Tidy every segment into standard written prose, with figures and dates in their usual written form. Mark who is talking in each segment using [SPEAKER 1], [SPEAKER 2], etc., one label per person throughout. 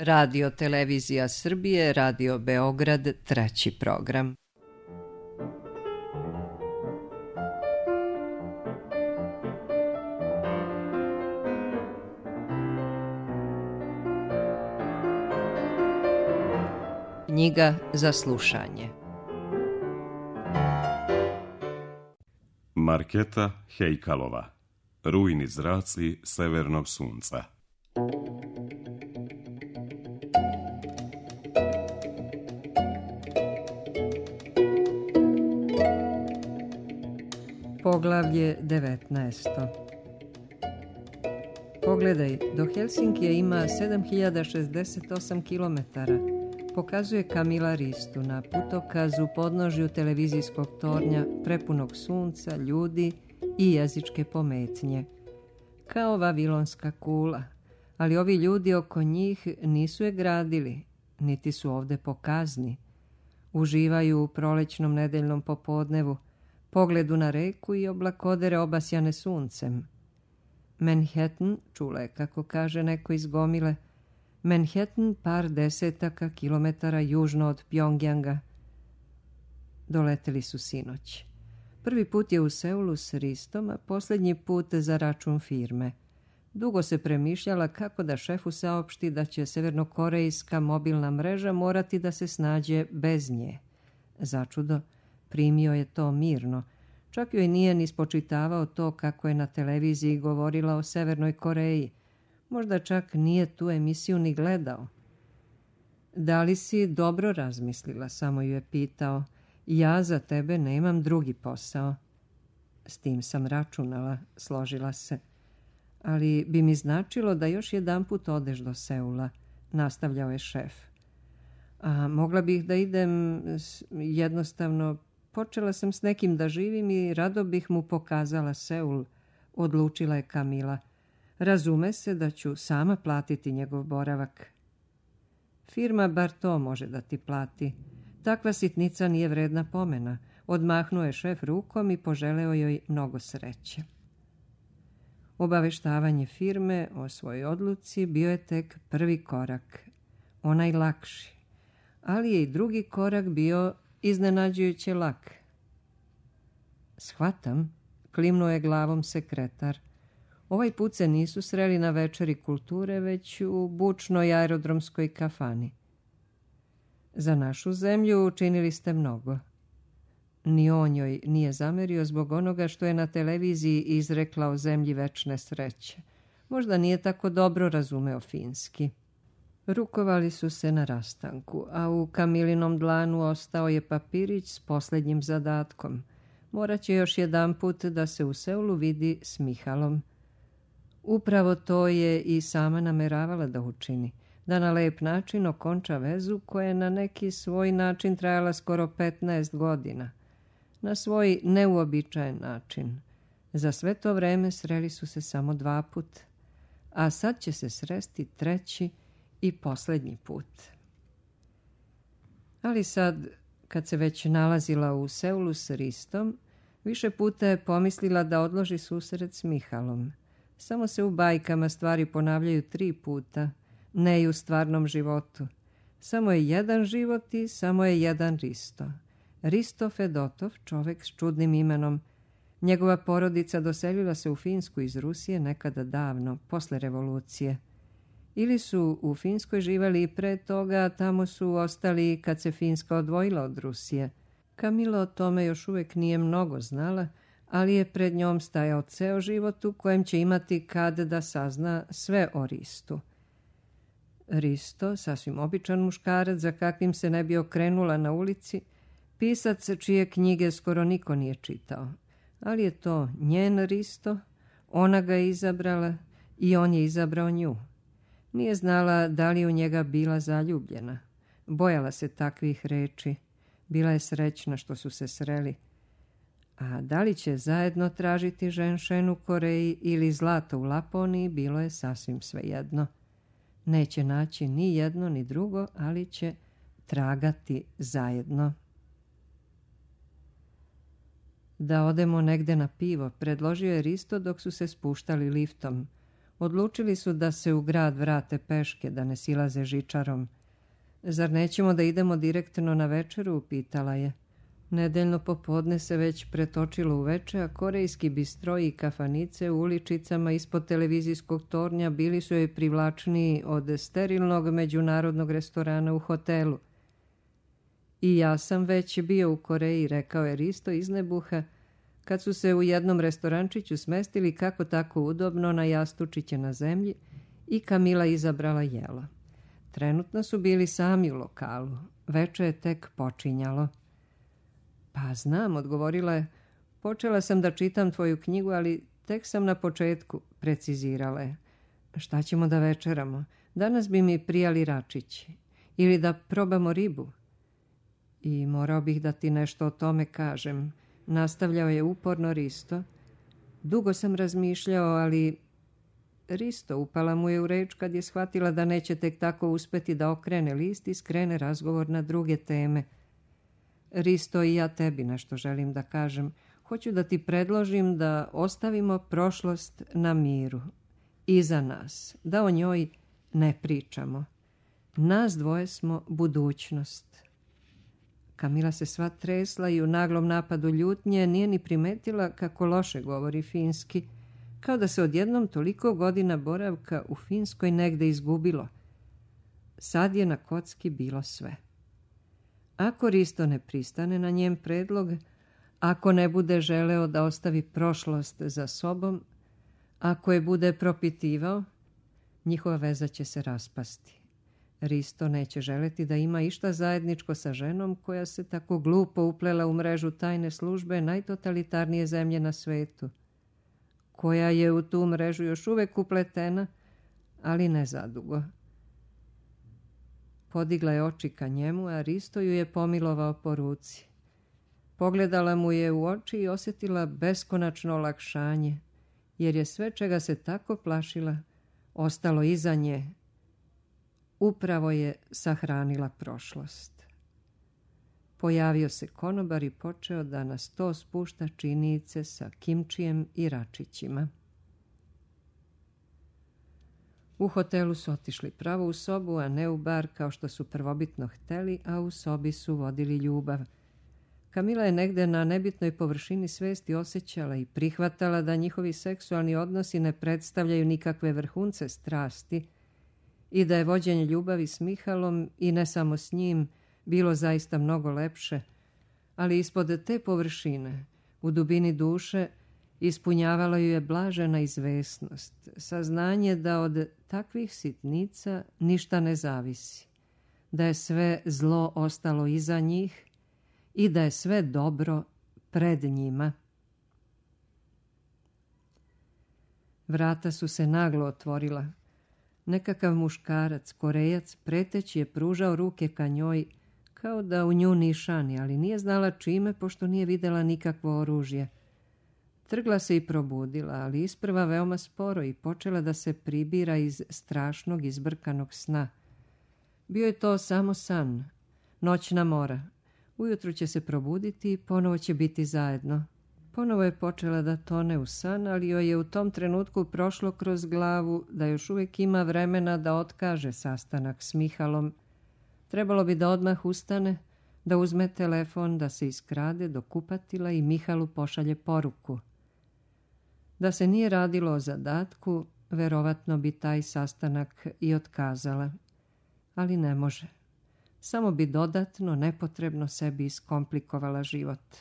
[SPEAKER 1] Radio Televizija Srbije, Radio Beograd, treći program. Knjiga za slušanje.
[SPEAKER 2] Marketa Hejkalova. Rujni zraci severnog sunca.
[SPEAKER 1] Poglavlje 19. Pogledaj, do Helsinkija ima 7068 kilometara. Pokazuje Kamila Ristu na putokazu podnožju televizijskog tornja prepunog sunca, ljudi i jezičke pometnje. Kao vavilonska kula, ali ovi ljudi oko njih nisu je gradili, niti su ovde pokazni. Uživaju u prolećnom nedeljnom popodnevu, pogledu na reku i oblakodere obasjane suncem. Manhattan, čula je kako kaže neko iz gomile, Manhattan par desetaka kilometara južno od Pjongjanga. Doleteli su sinoć. Prvi put je u Seulu s Ristom, a posljednji put za račun firme. Dugo se premišljala kako da šefu saopšti da će severnokorejska mobilna mreža morati da se snađe bez nje. Začudo, primio je to mirno. Čak joj nije ni spočitavao to kako je na televiziji govorila o Severnoj Koreji. Možda čak nije tu emisiju ni gledao. Da li si dobro razmislila, samo ju je pitao. Ja za tebe nemam drugi posao. S tim sam računala, složila se. Ali bi mi značilo da još jedanput odeš do Seula, nastavljao je šef. A mogla bih da idem, jednostavno, počela sam s nekim da živim i rado bih mu pokazala Seul, odlučila je Kamila. Razume se da ću sama platiti njegov boravak. Firma bar to može da ti plati. Takva sitnica nije vredna pomena. Odmahnuo je šef rukom i poželeo joj mnogo sreće. Obaveštavanje firme o svojoj odluci bio je tek prvi korak, onaj lakši. Ali je i drugi korak bio iznenađujuće lak. Shvatam, klimnuo je glavom sekretar. Ovaj put se nisu sreli na večeri kulture, već u bučnoj aerodromskoj kafani. Za našu zemlju učinili ste mnogo. Ni on joj nije zamerio zbog onoga što je na televiziji izrekla o zemlji večne sreće. Možda nije tako dobro razumeo finski. Rukovali su se na rastanku, a u Kamilinom dlanu ostao je papirić s posljednjim zadatkom. Morat će još jedanput da se u Seulu vidi s Mihalom. Upravo to je i sama nameravala da učini, da na lep način okonča vezu koja je na neki svoj način trajala skoro 15 godina. Na svoj neuobičajen način. Za sve to vreme sreli su se samo 2 put, a sad će se sresti 3. i posljednji put. Ali sad, kad se već nalazila u Seulu s Ristom, više puta je pomislila da odloži susret s Mihalom. Samo se u bajkama stvari ponavljaju 3 puta, ne i u stvarnom životu. Samo je jedan život i samo je jedan Risto. Risto Fedotov, čovek s čudnim imenom. Njegova porodica doselila se u Finsku iz Rusije nekada davno, posle revolucije. Ili su u Finskoj živali i pre toga, a tamo su ostali kad se Finska odvojila od Rusije. Kamila o tome još uvijek nije mnogo znala, ali je pred njom stajao ceo život u kojem će imati kad da sazna sve o Ristu. Risto, sasvim običan muškarac za kakvim se ne bi okrenula na ulici, pisac čije knjige skoro niko nije čitao. Ali je to njen Risto, ona ga je izabrala i on je izabrao nju. Nije znala da li u njega bila zaljubljena. Bojala se takvih reči. Bila je srećna što su se sreli. A da li će zajedno tražiti ženšen u Koreji ili zlato u Laponiji, bilo je sasvim svejedno. Neće naći ni jedno ni drugo, ali će tragati zajedno. Da odemo negde na pivo, predložio je Risto dok su se spuštali liftom. Odlučili su da se u grad vrate peške, da ne silaze žičarom. Zar nećemo da idemo direktno na večeru, pitala je. Nedeljno popodne se već pretočilo u veče, a korejski bistroji i kafanice u uličicama ispod televizijskog tornja bili su joj privlačniji od sterilnog međunarodnog restorana u hotelu. I ja sam već bio u Koreji, rekao je Risto iz nebuha, kad su se u jednom restorančiću smestili kako tako udobno na jastučiće na zemlji i Kamila izabrala jelo. Trenutno su bili sami u lokalu. Veče je tek počinjalo. Pa znam, odgovorila je. Počela sam da čitam tvoju knjigu, ali tek sam na početku, precizirala je. Šta ćemo da večeramo? Danas bi mi prijali račići. Ili da probamo ribu. I morao bih da ti nešto o tome kažem. Nastavljao je uporno Risto. Dugo sam razmišljao, ali... Risto, upala mu je u reč kad je shvatila da neće tek tako uspeti da okrene list i skrene razgovor na druge teme. Risto, i ja tebi nešto želim da kažem. Hoću da ti predložim da ostavimo prošlost na miru. Iza nas. Da o njoj ne pričamo. Nas dvoje smo budućnost. Kamila se sva tresla i u naglom napadu ljutnje nije ni primetila kako loše govori finski, kao da se odjednom toliko godina boravka u Finskoj negde izgubilo. Sad je na kocki bilo sve. Ako Risto ne pristane na njen predlog, ako ne bude želeo da ostavi prošlost za sobom, ako je bude propitivao, njihova veza će se raspasti. Risto neće želeti da ima išta zajedničko sa ženom koja se tako glupo uplela u mrežu tajne službe najtotalitarnije zemlje na svetu, koja je u tu mrežu još uvek upletena, ali ne zadugo. Podigla je oči ka njemu, a Risto ju je pomilovao po ruci. Pogledala mu je u oči i osjetila beskonačno olakšanje, jer je sve čega se tako plašila ostalo iza nje. Upravo je sahranila prošlost. Pojavio se konobar i počeo da na sto spušta činice sa kimčijem i račićima. U hotelu su otišli pravo u sobu, a ne u bar kao što su prvobitno hteli, a u sobi su vodili ljubav. Kamila je negde na nebitnoj površini svesti osjećala i prihvatala da njihovi seksualni odnosi ne predstavljaju nikakve vrhunce strasti i da je vođenje ljubavi s Mihalom i ne samo s njim bilo zaista mnogo lepše, ali ispod te površine, u dubini duše, ispunjavala ju je blažena izvesnost, saznanje da od takvih sitnica ništa ne zavisi, da je sve zlo ostalo iza njih i da je sve dobro pred njima. Vrata su se naglo otvorila. Nekakav muškarac, Korejac, preteći je pružao ruke ka njoj, kao da u nju nišani, ali nije znala čime, pošto nije videla nikakvo oružje. Trgla se i probudila, ali isprva veoma sporo i počela da se pribira iz strašnog izbrkanog sna. Bio je to samo san, noćna mora. Ujutru će se probuditi i ponovo će biti zajedno. Ponovo je počela da tone u san, ali joj je u tom trenutku prošlo kroz glavu da još uvijek ima vremena da otkaže sastanak s Mihalom. Trebalo bi da odmah ustane, da uzme telefon, da se iskrade do kupatila i Mihalu pošalje poruku. Da se nije radilo o zadatku, verovatno bi taj sastanak i otkazala. Ali ne može. Samo bi dodatno, nepotrebno sebi iskomplikovala život.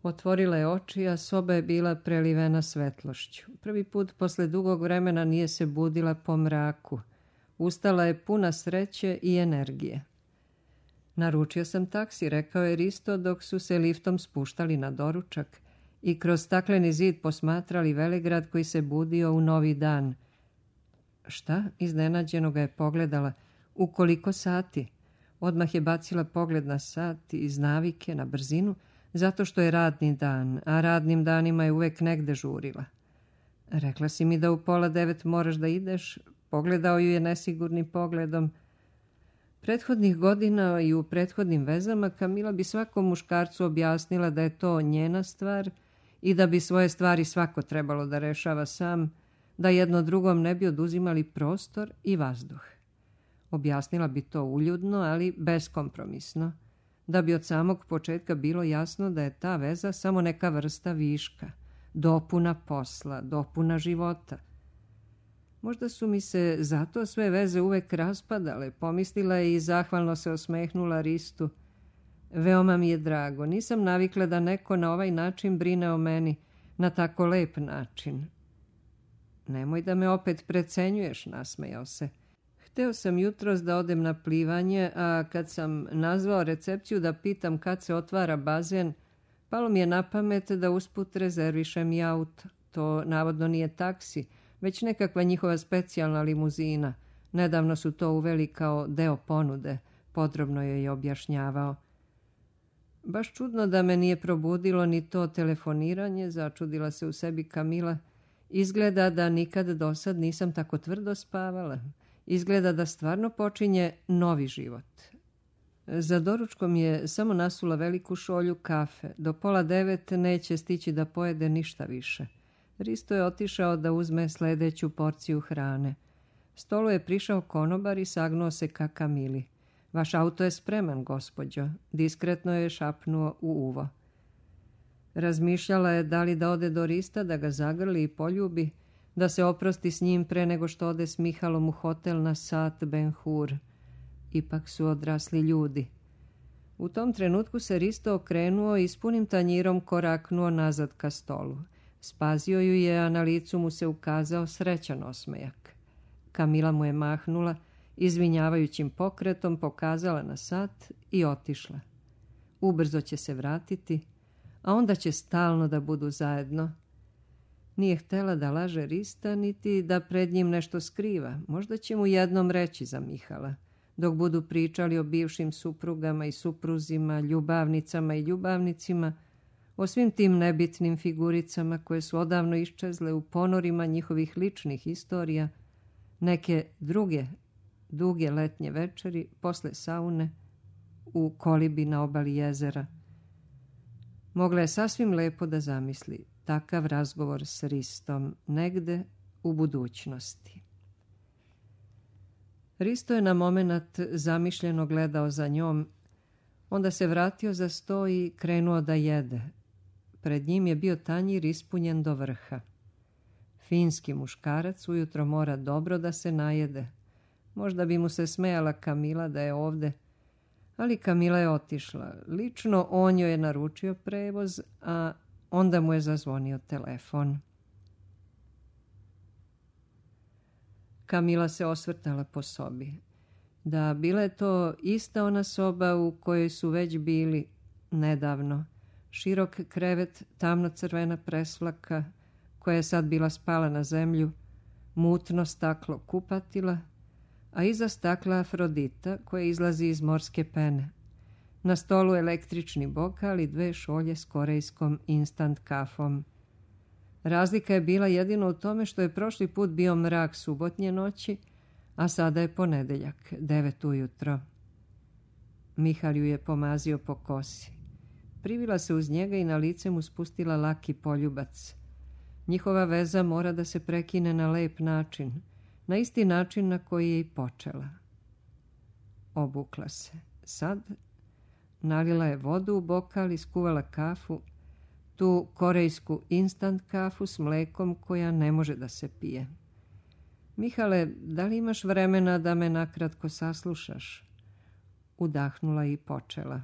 [SPEAKER 1] Otvorila je oči, a soba je bila prelivena svetlošću. Prvi put posle dugog vremena nije se budila po mraku. Ustala je puna sreće i energije. Naručio sam taksi, rekao je Risto dok su se liftom spuštali na doručak i kroz stakleni zid posmatrali velegrad koji se budio u novi dan. Šta? Iznenađeno ga je pogledala. U koliko sati? Odmah je bacila pogled na sat iz navike, na brzinu, zato što je radni dan, a radnim danima je uvek negde žurila. Rekla si mi da u 8:30 moraš da ideš, pogledao ju je nesigurnim pogledom. Prethodnih godina i u prethodnim vezama Kamila bi svakom muškarcu objasnila da je to njena stvar i da bi svoje stvari svako trebalo da rešava sam, da jedno drugom ne bi oduzimali prostor i vazduh. Objasnila bi to uljudno, ali beskompromisno, da bi od samog početka bilo jasno da je ta veza samo neka vrsta viška, dopuna posla, dopuna života. Možda su mi se zato sve veze uvek raspadale, pomislila je i zahvalno se osmehnula Ristu. Veoma mi je drago, nisam navikla da neko na ovaj način brine o meni, na tako lep način. Nemoj da me opet precenjuješ, nasmejao se. Hteo sam jutros da odem na plivanje, a kad sam nazvao recepciju da pitam kad se otvara bazen, palo mi je na pamet da usput rezervišem i auto. To navodno nije taksi, već nekakva njihova specijalna limuzina. Nedavno su to uveli kao deo ponude, podrobno je objašnjavao. Baš čudno da me nije probudilo ni to telefoniranje, začudila se u sebi Kamila. Izgleda da nikad dosad nisam tako tvrdo spavala. Izgleda da stvarno počinje novi život. Za doručkom je samo nasula veliku šolju kafe. Do 8:30 neće stići da pojede ništa više. Risto je otišao da uzme sledeću porciju hrane. Stolu je prišao konobar i sagnuo se ka Kamili. Vaš auto je spreman, gospođo, diskretno je šapnuo u uvo. Razmišljala je da li da ode do Rista, da ga zagrli i poljubi, da se oprosti s njim pre nego što ode s Mihalom u hotel na Sat Ben Hur. Ipak su odrasli ljudi. U tom trenutku se Risto okrenuo i s punim tanjirom koraknuo nazad ka stolu. Spazio ju je, a na licu mu se ukazao srećan osmejak. Kamila mu je mahnula, izvinjavajućim pokretom pokazala na sat i otišla. Ubrzo će se vratiti, a onda će stalno da budu zajedno. Nije htela da laže Rista, niti da pred njim nešto skriva. Možda će mu jednom reći za Mihala. Dok budu pričali o bivšim suprugama i supruzima, ljubavnicama i ljubavnicima, o svim tim nebitnim figuricama koje su odavno iščezle u ponorima njihovih ličnih istorija, neke druge duge letnje večeri posle saune u kolibi na obali jezera. Mogla je sasvim lepo da zamisli takav razgovor s Ristom negde u budućnosti. Risto je na momenat zamišljeno gledao za njom, onda se vratio za sto i krenuo da jede. Pred njim je bio tanjir ispunjen do vrha. Finski muškarac ujutro mora dobro da se najede. Možda bi mu se smejala Kamila da je ovde, ali Kamila je otišla. Lično on joj je naručio prevoz, a onda mu je zazvonio telefon. Kamila se osvrtala po sobi. Da, bila je to ista ona soba u kojoj su već bili nedavno. Širok krevet, tamno-crvena presvlaka, koja je sad bila spala na zemlju, mutno staklo kupatila, a iza stakla Afrodita koja izlazi iz morske pene. Na stolu električni bokal i 2 šolje s korejskom instant kafom. Razlika je bila jedino u tome što je prošli put bio mrak subotnje noći, a sada je ponedeljak, 9 ujutro. Mihal ju je pomazio po kosi. Privila se uz njega i na lice mu spustila laki poljubac. Njihova veza mora da se prekine na lep način, na isti način na koji je i počela. Obukla se. Sad nalila je vodu u bokal i skuvala kafu, tu korejsku instant kafu s mlekom koja ne može da se pije. Mihale, da li imaš vremena da me nakratko saslušaš? Udahnula i počela.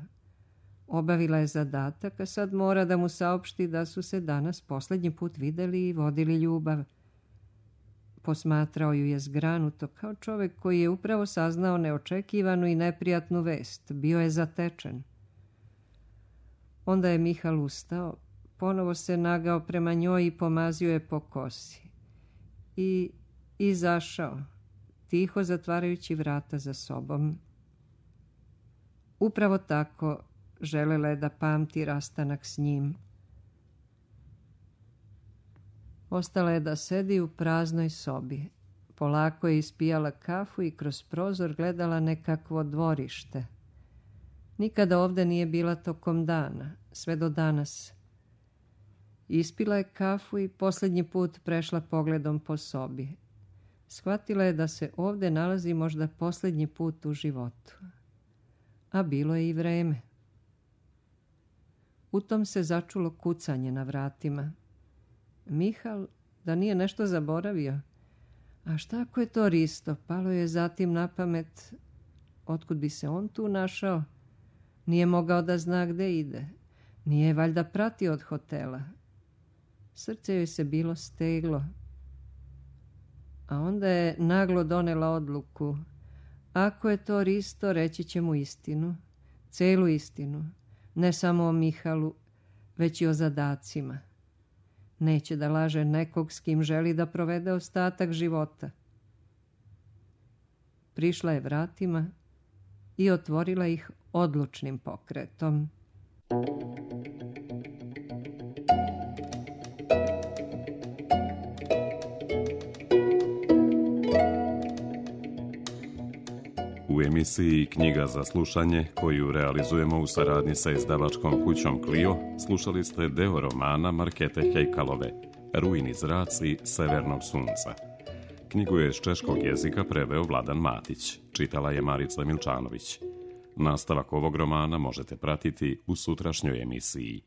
[SPEAKER 1] Obavila je zadatak, a sad mora da mu saopšti da su se danas posljednji put videli i vodili ljubav. Posmatrao ju je zgranuto, kao čovek koji je upravo saznao neočekivanu i neprijatnu vest. Bio je zatečen. Onda je Mihal ustao, ponovo se nagao prema njoj i pomazio je po kosi. I izašao, tiho zatvarajući vrata za sobom. Upravo tako želela je da pamti rastanak s njim. Ostala je da sedi u praznoj sobi. Polako je ispijala kafu i kroz prozor gledala nekakvo dvorište. Nikada ovde nije bila tokom dana, sve do danas. Ispila je kafu i posljednji put prešla pogledom po sobi. Shvatila je da se ovdje nalazi možda posljednji put u životu. A bilo je i vreme. U tom se začulo kucanje na vratima. Mihal, da nije nešto zaboravio. A šta ako je to Risto? Palo je zatim na pamet. Otkud bi se on tu našao? Nije mogao da zna gde ide. Nije valjda pratio od hotela. Srce joj se bilo steglo. A onda je naglo donela odluku. Ako je to Risto, reći će mu istinu. Celu istinu. Ne samo o Mihalu, već i o zadacima. Neće da laže nekog s kim želi da provede ostatak života. Prišla je vratima i otvorila ih odlučnim pokretom.
[SPEAKER 2] U emisiji Knjiga za slušanje, koju realizujemo u saradnji sa izdavačkom kućom Clio, slušali ste deo romana Markete Hejkalove, Rujni zraci severnog sunca. Knjigu je s češkog jezika preveo Vladan Matić, čitala je Marica Milčanović. Nastavak ovog romana možete pratiti u sutrašnjoj emisiji.